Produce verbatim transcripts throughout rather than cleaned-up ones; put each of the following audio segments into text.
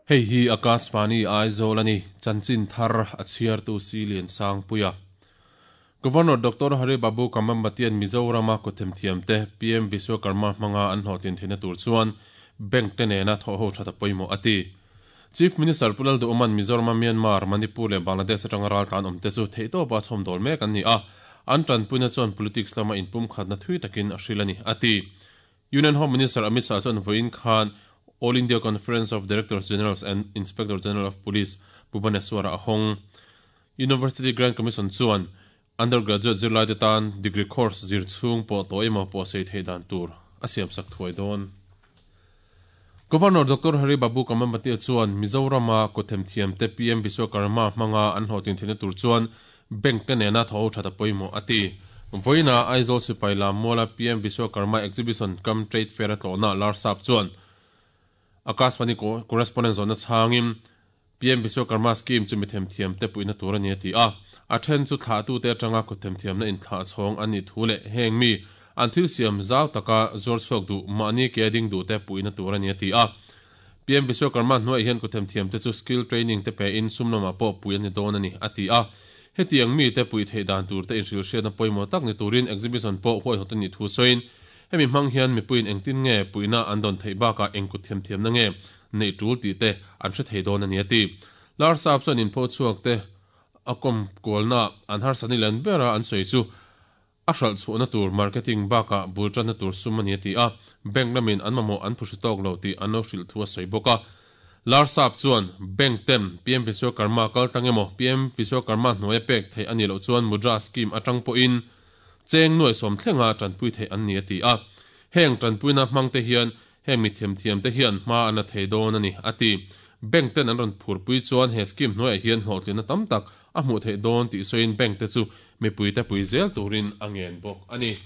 Hei hi Akashvani Aizawl ani chanchin thar a chhiar tu si lian sang puia Governor Doctor Hari Babu Kambhampati Mizoram a kuthem thiam te P M Vishwakarma hmanga an hlawhtlin theihna tur chuan bank te nena thawh ho tha ta pawimawh ati. Chief Minister Pu Lalduhoma'n Mizoram a Myanmar, Manipur leh Bangladesh atanga raltlan awm te chu theihtawpa chhawm dawl mek an ni a, an tanpuina chuan politics lama inpum khatna thui takin a hril ani ati. Union Home Minister Amit Shah chuan vawiin khan All India Conference of Directors Generals and Inspector General of Police Bhubaneswar a hawng. University Grant Commission chuan undergraduate zirlai te tan degree course zir chhung pawh tawh emaw pawh sei thei dan tur a siam sak thuai dawn. Governor Doctor Hari Babu Kambhampati chuan Mizoram a kuthem thiam te P M Vishwakarma hmanga an hlawhtlin theihna tur chuan bank te nena thaw ho tha ta pawimawh ati. Vawiina Aizawl Sipai lam muala P M Vishwakarma Exhibition cum Trade Fair a tlawhna Larsap chuan Akashvani correspondent zawhna chhangin P M Vishwakarma scheme chu mithem thiam te puihna tur ani ati a. A then chu thlah tu te atanga kuthem thiamna in thlah chhawng ani thu leh heng mi an thil siam zau taka zuar chhuak du mahni ke ding du te puihna tur ani ati a. P M Vishwakarma hnuai hian kuthem thiam te chu skill training te pe in sumlama pawh pui ani dawn ani ati a. Hetiang mi te pui thei dan tur te in hril hriatna pawimawh tak ni turin exhibition pawh huai hawt ani thu sawiin hemi hmang hian mipuiin engtin nge puihna an dawn theih bakah engkut thiam thiamna nge nei tul ti te an hre thei dawn ani ati. Larsap chuan in pho chhuak te a kom kualna an harsani len bera an sawi chu a hral chhuahna tur marketing bakah bultanna tur sum ani ati a. Bank lamin an mamawh an phuhri tawk lo tih an lo hrilh thu a sawi bawk a. Larsap chuan bank ten P M Vishwakarma kal tlang emaw P M Vishwakarma hnuai pek thei ani loh chuan Mudra scheme atang pawhin cheng nuai sawm thlenga tanpui thei an ni ati a. Heng tanpuina hmang te hian heng mi thiam thiam te hian hma an la thei dawn ani ati. Bank ten an rawn phurpui chuan he scheme hnuaiah hian hlawhtlinna tam tak a hmuh theih dawn tih sawiin bank te chu mipui te pui zel turin a ngen bawk ani.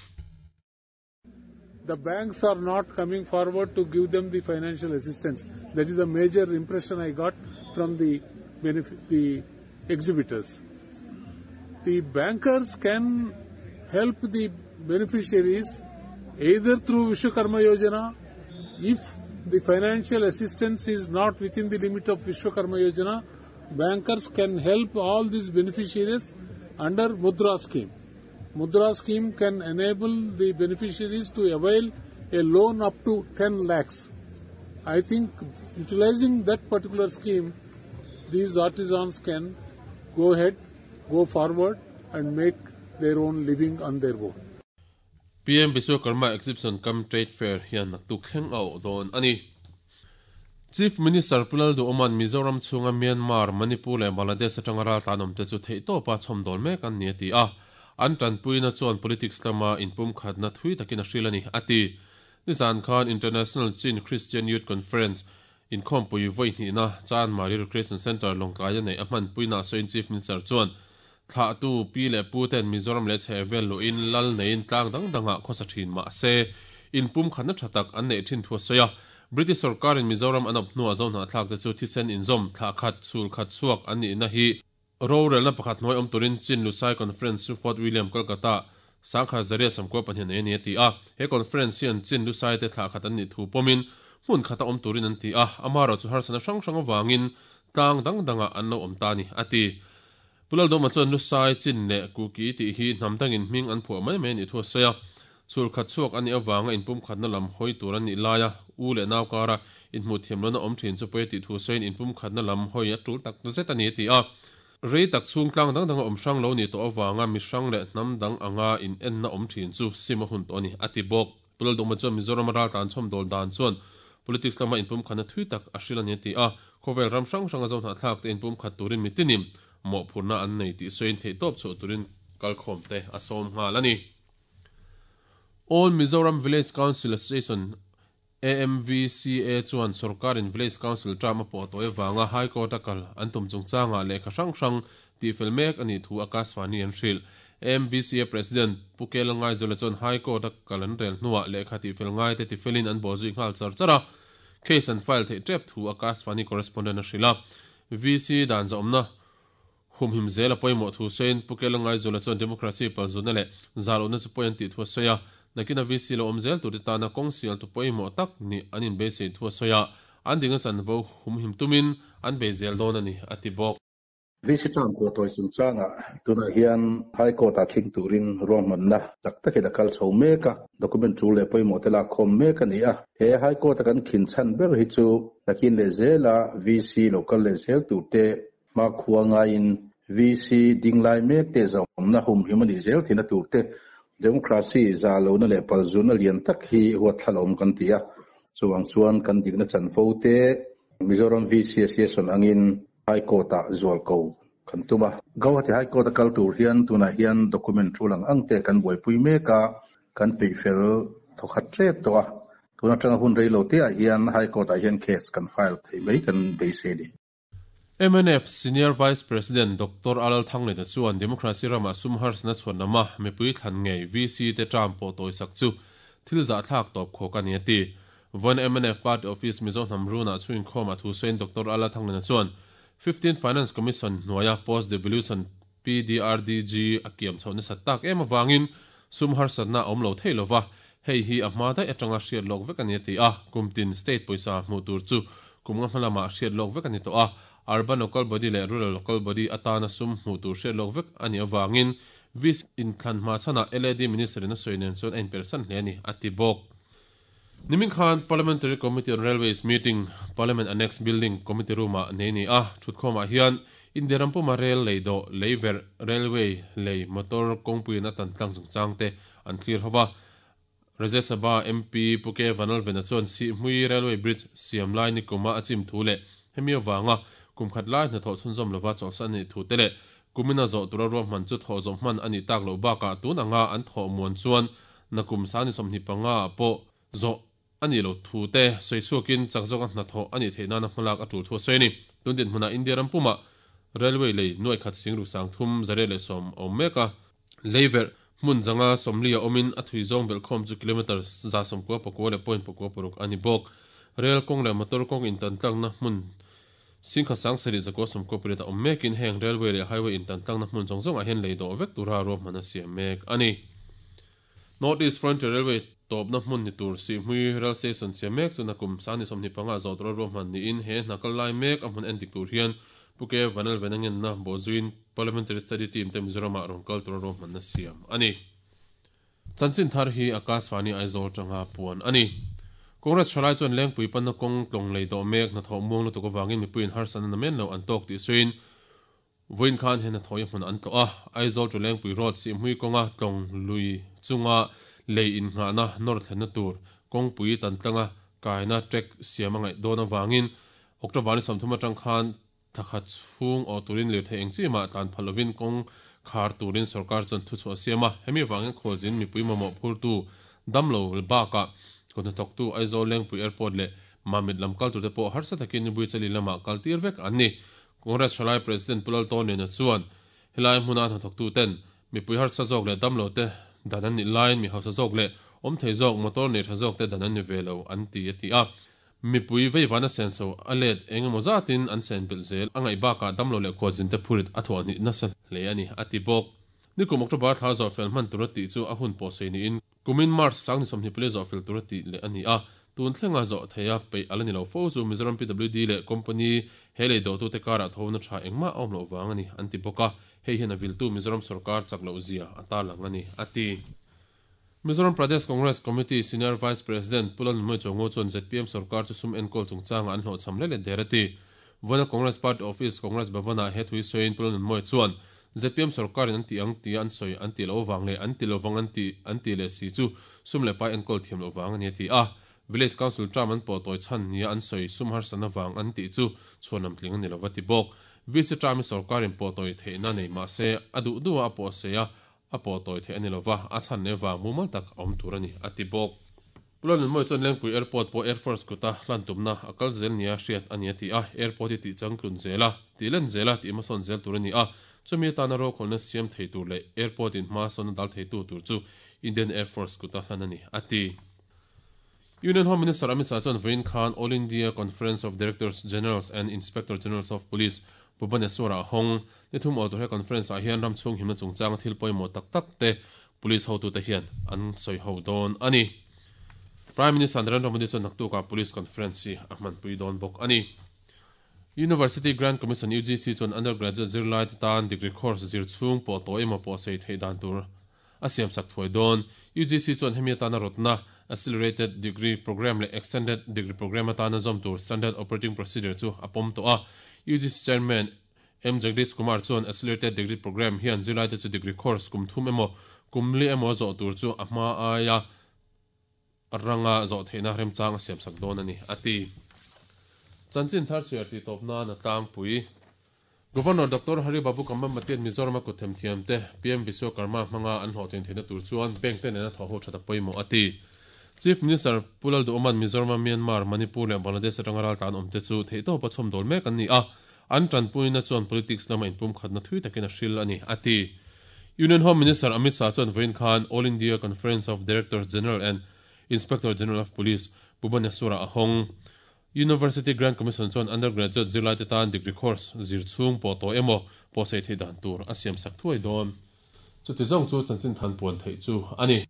The banks are not coming forward to give them the financial assistance. That is the major impression I got from the benefit, the exhibitors. The bankers can help the beneficiaries either through Vishwakarma Yojana. If the financial assistance is not within the limit of Vishwakarma Yojana, bankers can help all these beneficiaries under Mudra scheme. Mudra scheme can enable the beneficiaries to avail a loan up to ten lakhs. I think utilizing that particular scheme, these artisans can go ahead, go forward and make their own living on their own. P M Vishwakarma Exhibition cum Trade Fair hian naktuk thleng a awh dawn ani. Chief Minister Pu Lalduhoma'n Mizoram chhunga Myanmar, Manipur leh Bangladesh atanga raltlan awm te chu theihtawpa chhawm dawl mek an ni ati a. An tanpuina chuan politics lama inpum khatna thui takin a hril ani ati. Nizan khan International Chin Christian Youth Conference inkhawmpui vawi hnihna Chanmari Recreation Center Lawngtlai a nei a hmanpuina sawiin Chief Minister chuan thlah tu pi leh pu ten Mizoram leh chhehvel luhin lal neiin tlang dang dangah khawsa thin mah se inpum khatna tha tak an nei thin thu a sawi a. British sarkarin Mizoram an awp hnuah zo hnahthlak te chu thisen inzawm thlah khat chhul khat chhuak an nihna hi rorelna pakhat hnuai awm turin Chin Lusai Conference chu Fort William Kolkata sangkha zaria samkua pahnih nei ani ati a. He conference hian Chin Lusai te thlah khat an nih thu pawmin hmun khata awm turin an ti a. Amaro chu harsana hrang hrang awangin tlang dang dangah an lo awm ta ni ati. Pu Lalduhoma chuan Lusai Chin leh Kuki tih hi hnam dangin hming an phuah mai mai ni thu a sawi a. Chhul khat chhuak ani awanga inpum khatna lam hawi tur an nih laia u leh nau kara inhmuh thiam lona awm thin chu pawi tih thu sawiin inpum khatna lam hawi a tul tak zet ani ati a. Rei tak chhung tlang dang danga awm hrang lo ni tawh awanga mi hrang leh hnam dang anga in enna awm thin chu sim a hun tawh ani ati bawk. Pu Lalduhoma chuan Mizoram raltlan chhawm dawl dan chuan politics lama inpum khatna thui tak a hril ani ati a. Khawvel ram hrang hranga zo hnahthlak te inpum khat turin mitinim mawh phurna an nei tih sawiin theihtawp chhuah turin kalkhawm te a sawm nghal ani. All Mizoram Village Council Association A M V C A chuan sarkarin Village Council term a pawh tawh awanga High Court a kal an tum chungchanga lehkha hrang hrang tihfel mek ani thu Akashvani an hril. A M V C A President Pu Kel Ngaizawla chuan High Court a kal an rel hnuah lehkha tihfel ngai te tifelin an bawh zui nghal char char a. Case an file theih tep thu Akashvani correspondent a hril a. V C dan zawmna humhim zel a pawimawh thu sawiin Pu Kel Ngaizawla chuan democracy palzuna leh zalawhna chu pawi an tih thu a sawi a. Nakina V C lo awm zel tur te tana kawng sial tu pawimawh tak ni an inbeisei thu a sawi a. an dikna chanvo humhim tumin an bei zel dawn a ni, a ti bawk. V C term pawh tawi chungchangah tunah hian High Court-ah thleng turin ruahmanna tak takin a kal chho mek a, document tul leh pawimawh te lak khawm mek a ni a. He High Court-a kan khin chhan ber hi chu nakin leh zela V C lo kal leh zel tur te hma khua ngaiin V C ding lai mek te zawmna humhim a nih zel thina tur te democracy za lohna leh palzuna lian tak hi huat thlalawm kan ti a. Chuang chuan kan dikna chanvo te Mizoram V C Association angin High Court-ah zual ko kan tum a. Guwahati High Court-a kal tur hian tunah hian document thulang ang te kan buaipui mek a, kan peihfel thawkhat tep tawh a. Tuna tanga hun rei lo te ah hian High Court-ah hian case kan file thei mai kan beisei ni. M N F Senior Vice President Doctor Alal Thanglena chuan Democracy rama sum harsna chuan nama mipui thlan ngei V C te term pawh tawi sak chu thil zah thlak tawp khawk a ni a ti. Von M N F Party Office Mizo Hnamruna chuin khawm a thu sawiin Doctor Alal Thanglena chuan fifteen Finance Commission hnuaia Post Devolution P D R D G a kiam chho nasa tak em awangin sum harsatna awm lo thei lova hei hi a hma dai atanga hriat lawk vek a ni a ti a. Kumtin state pawisa hmuh tur chu kum nga hmalama hriat lawk vek a ni tawh a. Urban local body leh rural local body atana sum hmuh tur hriat lawk vek a ni awangin V C inthlan hma chhana L A D Minister in a sawi nen chuan a inpersan hle a ni a ti bawk. Nimin Khan Parliamentary Committee on Railways meeting Parliament Annex Building Committee room ah nei ni a. Thutkhawmah hian India rampuma rail lei do leiver railway lei motor kawngpuiin a tan tlang chungchang te an thlir hova. Rajya Sabha M P Puke Vanalvena chuan Sihhmui Railway Bridge siam lai ni kuma a chim thu leh hemi awanga kumkhat lai hna thawh chhunzawm lova chawlhsan ani thu te leh kumina zawh tura ruahman chu thawh zawh hman ani tak loh bakah tun anga an thawh muan chuan nakum sani sawmhnih panga pawh zawh ani lo thu te sawichhuakin chak zawka hna thawh ani theih nana hmalak a tul thu a sawi ni. Tun din hmunah India rampuma railway lei nuai khat sing ru sang thum zare leh sawm awm mek a. Leiver hmun zanga sawmli a awmin a thui zawng belh khawm chu kilometer za sawmkua pakua leh point pakua paruk ani bawk. Rail kawng leh motor kawng intantlakna hmun singkha sang sarih zakua sawmkua pariat a awm mekin heng railway leh highway intantlakna hmun zawng zawng ah hian lei dawh vek tura ruahman a siam mek ani. North East Frontier Railway tawpna hmun ni tur Sihhmui Rail Station siam mek chu nakum sani sawmhnih panga zawh tura ruahman niin he hna kal lai mek a hmun en dik tur hian Puke Vanalvena ngenna bawhzuiin Parliamentary Study Team te Mizoramah rawn kal tura ruahmanna siam ani. Chanchin thar hi Akashvani Aizawl tanga puan ani. Congress thalai chuan lengpui panna kawng tlawng lei dawh mek hna thawh muang lutuk awangin mipuiin harsatna namen lo an tawk tih sawiin vawiin khan he hna thawh hmun an tlawh a. Aizawl to Lengpui Road Sihhmui kawnga tlawng lui chunga lei innghahna nawr thlenna tur kawngpui tantlanga kaina trek siam a ngaih dawn awangin October ni sawmthum atang khan thakhat chhung aw turin lirthei eng chi mah tlan phal lovin kawng khar turin sarkar chuan thu chhuah siam a. Hemi awangin khawlzin mipui mamawh phurtu damlo bakah kawhna thawktu Aizawl Lengpui Airport leh Mamit lam kal turte pawh harsa takin nibui chali lamah kal tir vek an ni. Congress thalai President Pulal Tawnena chuan helai hmuna hna thawktu ten mipui harsa zawk leh damlo te dan an nih laiin mi hausa zawk leh awm thei zawk motor nei tha zawk te dan an ni ve lo an ti a ti a. Mipui veivana senso a let engemaw zatin an sen belh zel a ngaih bakah damlo leh khualzin te phurit a thawh hnih nasa hle a ni a ti bawk. Nikum October thla zawh fel hman tura tih chu a hun pawh sawi niin kumin March sangni sawmhnih pali zawh fel tura tih leh a ni a. Tun thlenga zawh theia peih ala ni lo fo chu Mizoram P W D leh company he lei dawhtu te karah thawhna tha engmah a awm loh vang a ni an ti bawk a. Hei hian a viltu Mizoram sarkar chak loh zia a tarlang a ni a ti. Mizoram Pradesh Congress Committee Senior Vice President Pulal Nunmawii Chuango chuan Z P M sarkar chu sum enkawl chungchanga an hlawhchham le le der a ti. Vawiina Congress Party Office Congress Bhavanah he thui sawiin Pulal Nunmawii chuan Z P M sarkarin an ti ang tia an sawi an ti lo wang leh an ti lovang an ti an ti leh si chu sum leh pai enkawl thiam lo wang a ni a ti a. Village Council term an pawh tawi chhan nia an sawi sum harsatna wang an tih chu chhuanam tling a ni lova ti bawk. V C term i sarkarin pawh tawi theihna nei mah se a duh duh a pawh sei a a pawh tawi theih a ni lova a chhan leh wang mumal tak a awm tur a ni a ti bawk. Pulal Nunmawii chuan Lengpui Airport pawh Air Force kuta hlan tumna a kal zel nia hriat a ni a ti a. Airport hi tih changtlun zela tih len zela tih hmasawn zel tur a ni a. Chumi atana rawkhawlna siam thei tur leh airport in hma sawn a dal theitu tur chu Indian Air Force kuta hlan a ni a ti. Union Home Minister Amit Shah chuan vawiin khan All India Conference of Directors Generals and Inspector Generals of Police Bhubaneswar-ah hawng ni thum aw tur he conference ah hian ramchhung himna chungchang thil pawimawh tak tak te police hotu te hian an sawi ho dawn a ni. Prime Minister Narendra Modi chuan naktukah Police Conference hi a hmanpui dawn bawk a ni. University Grant Commission, UGC, chuan undergraduate zirlaite tan degree course zir chhung pawh tawh emaw pawh sei theih dan tur a siamsak thuai dawn. UGC chuan hemi atana rawtna Accelerated Degree Programme leh Extended Degree Programme atana zawm tur Standard Operating Procedure chu a pawm tawh a. UGC Chairman M Jagdish Kumar chuan Accelerated Degree Programme hian zirlaite chu degree course kum thum emaw kum li emaw zawh tur chu a hma aia ranga zawh theihna remchang a siamsak dawn a ni, a ti. Chanchin thar chhiar tih tawp nan a tlangpui. Governor Doctor Hari Babu Kambhampatian Mizorama kut themthiamte PM Vishwakarma hmanga an hlawhtlin theihna tur chuan bank te nena thawhho that a pawimawh a ti. Chief Minister Pu Lalduhawma'n Mizorama Myanmar, Manipur leh Bangladesh atanga raltlan awmte chu theihtawpa chhawmdawl mek an ni a, an tanpuina chuan politics lama inpumkhatna thui takin a hril a ni, a ti. Union Home Minister Amit Shah chuan vawiin khan All India Conference of Directors General and Inspector General of Police, Bhubaneswar-ah a hawng. University Grant Commission chuan undergraduate zirlaite tan degree course zir chhung pawh tawh emaw pawh sei theih dan tur a siamsak thuai dawn. Chuti zawng chu chanchin than puan theih chu a ni.